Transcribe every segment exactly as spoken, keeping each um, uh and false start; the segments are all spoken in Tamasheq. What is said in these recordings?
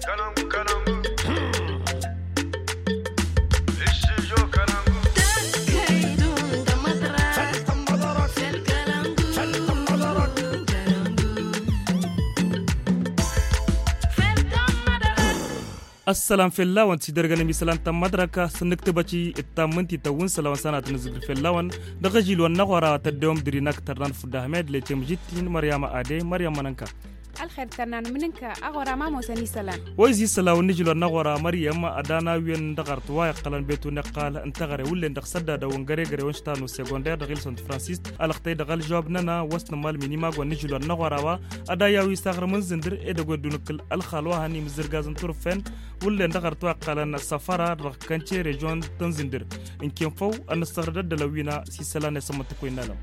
Ăssălam fell-awăn tidergăn amisălan ta n-mădrăk s-nǝktǝbăci d-tammǝnti tăwwǝn s-ălawăn s-anatăn ǝzzǝgdǝl fell-awăn. Dăɣ-ažil wa n-aɣora tăddewăm dăr-i n-ak tărnan fudda ahmed le temǝžittin măryama ade măryama n-ănka. Ălxer tărnan mǝnǝnka aɣora ma ămoosăn isălan. Wa izǝy isălan wa n-ažil wa n-aɣora măryam ad-ana-wen dăɣ-arăt wa iqqălăn betu n-iqqal n-teɣăre wullen dăɣ-săddadăw n-găre-găre wa n-ištanu segonder dăɣ-ilsăn tǝfransist. Ălxătăy dăɣ-ălžăwab-năna wa s-nǝmal minimag wa n-ažil wa n-aɣora wa ad-ayaw isaɣrǝm n-zǝndǝr edăgg wa dd-unǝkkǝl ălxal wa hăn imǝzzǝrgaz n-turǝffen. Wullen dăɣ-arăt wa iqqălăn săfăra dăɣ-kănce režion tăn-zǝndǝr ǝnken făw ad-nǝssăɣrǝd ăddălăn wi n-a s-isălan i-asămmăntăk wa innă alăm.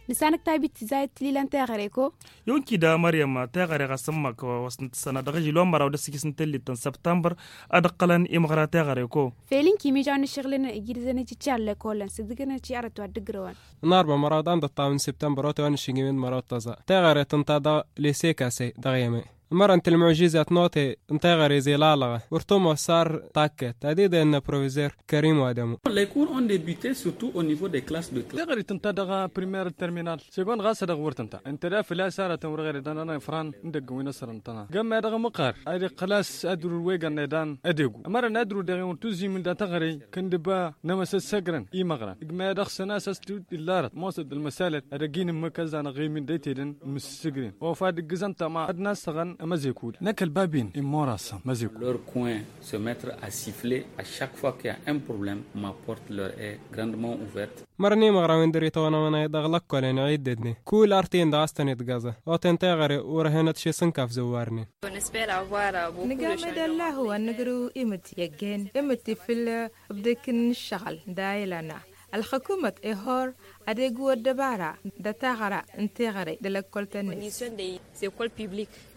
Nǝsanăk tabit tǝzzayăt tǝlilăn teɣăre ko. Yonki da măryăm teɣăre ɣas ǝmmăk wa s-nǝtǝssăna dăɣ-ažil wa n-măraw d-asǝkis n-tellit ta n-săbtămbăr. Ad-ǝqqălăn imɣăra teɣăre ko. Fel ǝnki mižaw n-ašăɣǝlăn ijidǝzăn ijǝččar lăkolăn s-ǝdǝgǝnăn ti arăt wa dd-ǝgrăwăn. N-arbă măraw d-an d-ăṭṭaw n-săbtămbăr ote wa n-ašǝgǝm d-măraw d-tăẓa teɣăre tǝnta dăɣ-lese kase dăɣ-yeme. Mărăn tǝlmužizat n-ote n-teɣăre zilalaɣa wăr tămoos ar takkăt ad-idăyăn n-aprovizer kărim wa dămu. Les cours ont débuté surtout au niveau des classes de classe. Teɣăre tǝnta dăɣ-primer terminal segon ɣas ad-dăɣ wăr tǝnta ǝnta da făl-a-s arătăn wăr ɣer-dd anănăfran n-idăgg wi n-asărăn tăna gămma dăɣ-măqqar ad-iqqăl a-s ad-rur wegăn edan ad-egu mărăn ad-rur dăɣ-iwăn tuzimǝn da teɣăre kăndǝba n-emăsăssăgrăn imăɣrăn igma dăɣ-săn a-s a-s dd-illa arăt mosăt d-ălmăsalăt ad-ăgg-in ǝmmǝk ăzzanăɣ emin d-aytedăn mǝssǝgrin ofa d-ǝggǝzăn tăma ad-nasăɣăn ămăzekul năkk ălbabin immorasăn măzekul. Leur coin se mettre à siffler à chaque fois qu'il y a un problème ma porte leur est grandement ouverte. Mărăn imăɣrawen dăr-itawănăwăn dăɣ-lăkkolăn iɣiddădnen kull artǝyăn dăɣ-a-s tăn-itgăẓăn oten teɣăre wăr-hănăt šes n-kaf zăwwarnen. Nǝgam d-allahu ad-nǝgrǝw imǝtti i-ăggehen imǝtti fǝll-ǝbdǝk n-ǝššăɣǝl d-ayǝlăn ălxǝkumăt ihor ad-egu ăddăbara d-ataɣra n-teɣăre d-lăkkol-tăn-net.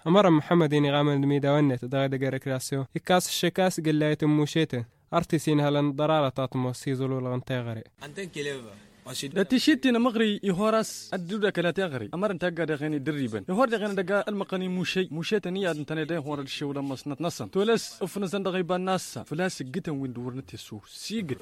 Ămărăn muḥămmăd-in iɣamăn d-imidawăn-net dăɣ-edăgg rekrasyon ikkas ǝššǝk a-s gǝllayăt n-mušetăn artis inhălăn ḍărarăt a t-mos iẓǝlulăɣ n-teɣăre. Dat-išittin ămăɣri ihor a-s ad-dd-udakăl a teɣăre ămărăn tagga deɣen idărribăn ihor deɣen ad-ăgg-ălmăqqăn imušey mušetăn iyyăḍ ǝntăne da ihor ad-ǝššewălăn măsnăt-năsăn tolăs ǝfnǝzăn dăɣ-iba n-nassa făl-a-s ǝggǝtăn wi n-dd-wăr nǝtessu s-iggǝt.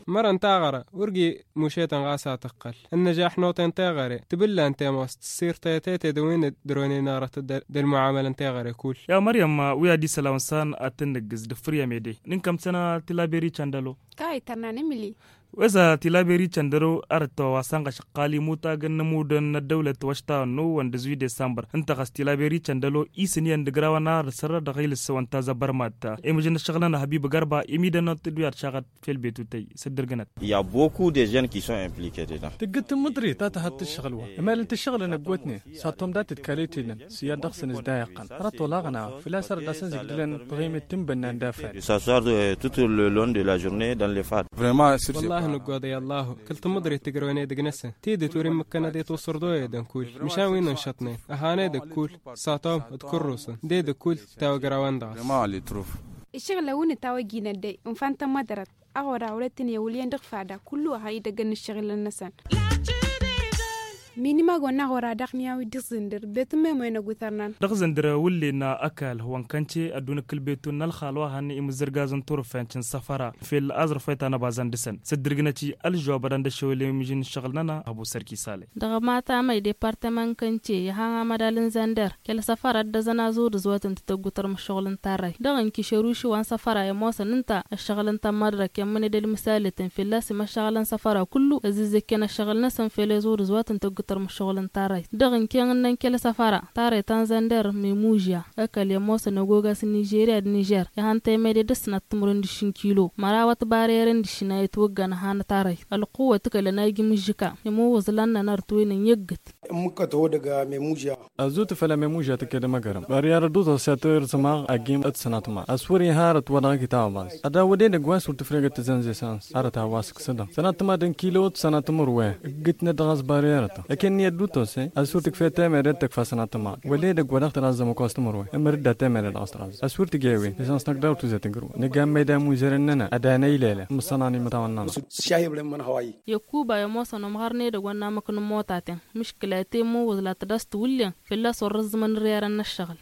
Mărăn taɣăra wăr gi-mušetăn ɣas a tǝqqăl ănnăžaḥ n-oten teɣăre tǝbǝlla n-temos tǝssir tăyăt i-tedăwin d-dăr-wăn-in-arăt d-ălmuɛamălăn teɣăre kull. Ya măryăm wi ad-isălan wa n-săn ad-tăn-nǝggǝz d-ǝffǝr i-amede n-inkăm săn a tilaberi căndălo. Kawăy tărnan imǝli. Weza tilaberi căndălo arăt wa săn ɣašăqqal imutagăn n-amudăn n-ăddăwlăt wa š-ta ănnu wăn dăzwi desambăr ǝnta ɣas tilaberi căndălo isǝn iyyăn d-ǝgrawăn arăt sărrăt dăɣ-ilǝs wa n-tazăbărmat. Imǝžăn ăššăɣǝlăn ăhbib gărba imidăn n-ad-t-dd-wi ad-šaɣăt fel betutăy s-dd-ǝrgǝnăt. Il y a beaucoup de jeunes qui sont impliqués dedans. Tǝggǝt tǝmmǝḍrit ta tăhăt tǝššăɣǝl wa ămel n-tǝššăɣǝlăn ăggootnen s-ad-tom dat-dd kalitedăn s-iyyăḍ dăɣ-săn s-dayaqqăn hărăt olaɣăn a făl-a-s arăt a-s ănzǝgdǝlăn tăɣimit tǝnbănnan d-afad. Tout le long de la journée dans les fad. Wăllah nǝggoḍăy ăllahu kăl-tǝmmǝḍrit tǝgrăwăn edăgg-năsăn tidǝt wăr-immǝkkăn ad-itwăṣṣăr d-oyădăn kull măšan wi n-ănšăṭnen ăhan edăgg kull s-ad-tom d-kărrusăn d-edăgg kull tawăgra-wen-dăɣ. Ǝššăɣǝl a-wen ǝtawăjjinăt dăy ǝnfa n-tămmăḍrăt. Aɣora wăr-e tăn-iwǝl iyyăn dăɣ-fada kullu a idăggăn n-ǝššăɣǝlăn-năsăn. Minimag wa n-aɣora daɣ n-iyaw-i dăɣ-zǝndǝr betun memo-i n-ăgutărnan. Dăɣ-zǝndǝr wǝllen ăkall wa n-kănce ădduun ǝkkǝl betun n-ălxal wa hannăn imǝzzǝrgazăn turǝfenč n-săfăra fel aẓrǝf wa ităn ăbazăn dăɣ-săn s-dd-ǝrgǝnăt-i ălžăwab ad-ăndăššewăl i-mǝžin n-ǝššăɣǝl-nănăɣ. Ăbu sărki sale. Dăɣ-matamăy departămăn kănce iha amadal n-zănder kăl-săfăra dd-ăzănazăw d-ǝzwatăn tăggutărăm ǝššăɣǝl n-tarrayt dăɣ-inkišăruši wa n-săfăra i-ămoosăn ǝnta ǝššăɣǝl n-tămmăḍrăk i-ămmăned ălmǝsalătăn fălla-s imăššăɣǝlăn săfăra kullu ăzzǝzzăkken ăššăɣǝl-năsăn fel eẓu d-ǝzwatăn tăggutărăm ǝššăɣǝl n-tarrayt dăɣ-inken ǝnnăn kăl-săfăra tarrayt ta n-zănder memužya ăkall i-ămoosăn ăgogas n-nižerya d-nižer ihăn temede dăr-săn ad-tǝmrǝwăn d-aššin kilo mărawăt barerăn d-aššin a itwăggan ăhan tarrayt ălquwăt kălăn a ijmǝžžǝka imǝwwǝẓlan n-anărt wen ănniyyăggǝt. Ămmǝkkăt ho-dăgg memužya. Ăzut făll-amemužya tǝked măgărăm băryar ădduẓăs i-ad-tăwăr zămaɣ agim d-sănatma a-s wăr-iha arăt wa dăɣ-kitaw ăbaz ad-awăded ăgg wa s-wăr tǝfregăt tǝzănze s-a-s arăt a-wa s-ǝksǝdăm sănatma d-ănkilo d-sănatma ămărwe ǝggǝtnăt dăɣ-a-s băryar-tăn ăkennăy ădduut ose a-s wăr tǝkfet temere d-tǝkfa sănatma wăla edăgg wa dăɣ-tărazzăm ăkos timǝrwen ămăr-dd ad-temere dăɣ-s tărazzăm a-s wăr tǝjewin isănsnăk dăɣ-tuzet ǝgrǝwăn nǝgammăy d-amuzăren-nănăɣ ad-anăylele mǝssănan imǝtawăn-nănăɣ. Ăkuba i-ămoosăn ămɣărnen edăgg wa n-amǝk n-ămmotaten mǝškǝla. Ătemmăwwăẓ la tădast wǝllen fălla-s wăr răẓẓǝmăn ărrerăn n-ăššăɣǝl.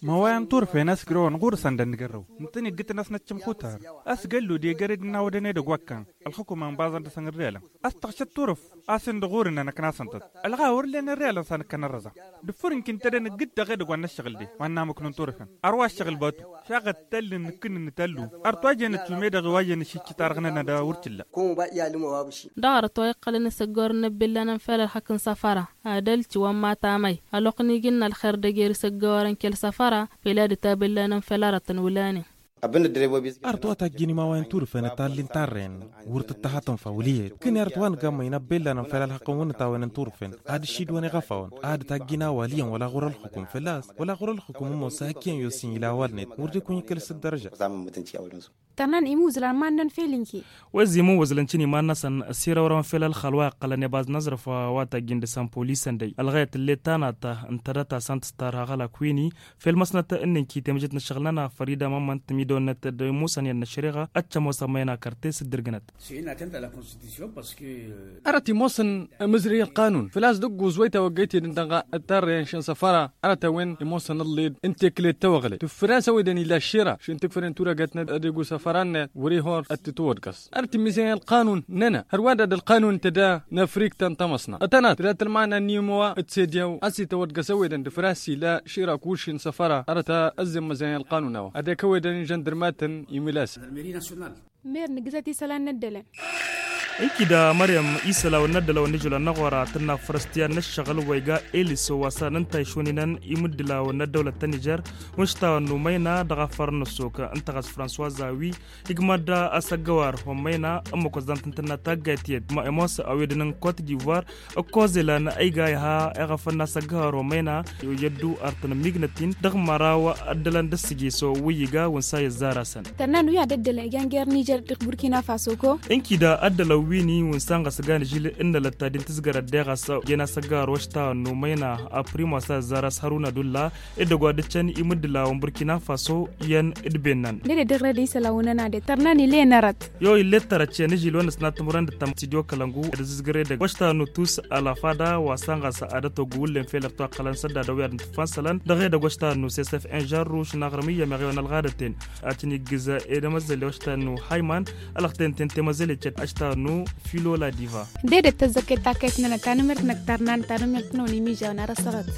Măwayăn turfen a-s grăwăn ɣur-săn d-ănnigarrăw ǝntăneggǝtăn a-s năccăm xutar. A-s găllu d-egăre d-ănnawădăn edăgg wa ǝkkan ălxukum ănbaẓăn dăɣ-săn ărrelăn. A-s tăɣšăt turǝf a-s ǝndăɣ ɣur-năn ăknasăn-tăt ălɣa wăr len ărrelăn s-ad-nǝkkăn ărrăẓa. Dăɣ-făr ǝnk ǝntădăn ǝggǝd dăɣ-edăgg wa n-ăššăɣǝl de wa n-namǝknun turfen. Ar wa ăššăɣǝl batu šaɣăt tallǝn nǝkkǝnnǝn tallu. Ar twajenăt wi medăɣ i-wa jăn ǝšǝcci tarăɣ-nănăɣ d-wăr t-illa. Kăwăn-ba i-alǝm ăwabǝši. Dăɣ-arăt wa iqqălăn isăggorăn n-ăbbellanăn fel ălxăk n-săfăra ad-ălci wa n-matamay ălwăqq n-iji n-ălxer d-ejer isăggorăn kăl-săfăra. Fel ad-ătabellanăn fel arăt n-wǝlanen. Arăt wa tajjin imawayăn turfen ătallin tarren wăr tǝttăhatăn fawǝliyăt kănni arăt wa n-gammăy n-ăbbellanăn fel ălxăk n-wǝnnǝtawăn n-turfen ad-ǝššidwăn iɣăfawăn ad-tajjin a-wa ǝliyăn wăla ɣur-ălxukum fălla-s wăla ɣur-ălxukum ǝmmos a hak iyyăn i-osin ila a-wa ălnet wăr dd-ikun ikăl s-ǝddărăža. Tărnan imuzlan mannăn fel inki. Wăzzi imuzlan cǝni mannăsăn s-irăwrăwăn fel ălxal wa iqqălăn i-baz n-aẓrǝf wa tajjin dăɣ-săn polisăn dăy ălɣăyăt ǝllet tanat ǝntădăt asăn tǝstar haɣălak wi-ni fel măsnăt ǝnninki temăjet n-ăššăɣǝl-nănăɣ făr-i d-amămmăn tǝmidăwănnăt d-imusăn i-ad-năššăreɣa. Ăččăm osămmăyăn akăr-te s-dd-irgǝnăt. Arăt imoosăn amǝzrǝy ălqanun făl-a-s dăgg-uz wa itawăggăyt-edăn dăɣ-tarrăyăn šăn săfăra arăt a-wen imoosăn ǝlliḍ n-tekle d-tawăɣle tǝffǝr-as ăwedăn ila ăššira šăn tǝkfăren turăgăt n-ad-ego săfăra-net wăr-ihor ad-t-tawăḍkăs. Arăt imizăyăn ălqanun-nănăɣ hărwa d-ad-ălqanun tăda n-afrikt ta n-tamăsna ătănat tăda tălmana n-imowa d-sediyaw a-s itawăḍkăs ăwedăn dăɣ-făr-as ila ăššira kušin săfăra arăt a ăzzemmăzăyăn ălqanun a-wa ad-ekăwedăn inžăndărmatăn imǝlasăn. Mer nǝggǝzăt isălan n-ăddălăn. Ǝnki da măryăm isălan n-ăddălăn wa n-ižulăn n-aɣora tǝnna fărăstiyăn n-ăššăɣǝl wa iga eliso wa s-ad-nǝnta išuninăn imǝddǝla wa n-ăddăwlăt ta n-ižăr. Wǝnš ta wa n-număyna dăɣ-afăr n-ăssok ǝnta ɣas francois zawi igmădda asăggăwar wa n-măyna ămmăk wa s-dan tǝntǝnna taggayt tiyyăt ma ămoos a-wen dăɣ-năn kot divoir. Ǝkkoẓ ilan a iga iha iɣăfăn n-asăggăwar wa n-măyna i-ăddu ar tăn-ămmignăt-in dăɣ-măraw ăddălăn d-ǝssǝjǝso wi iga wǝnsa i-ăzzar-asăn. Tărnan wi ad-ăddălăn iga n-ger nižer dăɣ-burkina faso ko. Ǝnki da ăddălăn wi-ni wǝnsa n-ɣas gan ižil n-nălăt ta din tǝzgărăt deɣ a-s jen asăggăwar wa š-ta ănnu măyna a prim wa s-a ăzzar-as hăruna dulla. Edăgg wa dd-ǝccăn imǝddǝla wa n-burkina faso iyyăn d-bennăn. Dede dăɣ-red isălan wa n-ănade tărnan ilen arăt. Yo ilet tărăt iyyăn ižil wa n-ăsnat timǝrăn d-tăm studio kălăngu d-azǝzgăr edăgg wa š-ta ănnu tus alafada wa s-ănɣas ad-ătogg wǝllen fel ărtu ăqqălăn sădda dăw-i ad-nǝtǝffan isălan dăɣ-edăgg wa š-ta ănnu sesef inžarru šǝnaɣrǝm iyyăm eɣew n-ălɣadăten. Ad-tăn-iggǝz ed amăzzăle wa š-ta ănnu hayman. Ălăxten-ten temăzzăle cet a š-ta ănnu filo la diva. Dede tăzzăket takăyt-nănăɣ tanămert n-ăkk tărnan tanămert-năwăn imižawăn ar ăssaɣăt.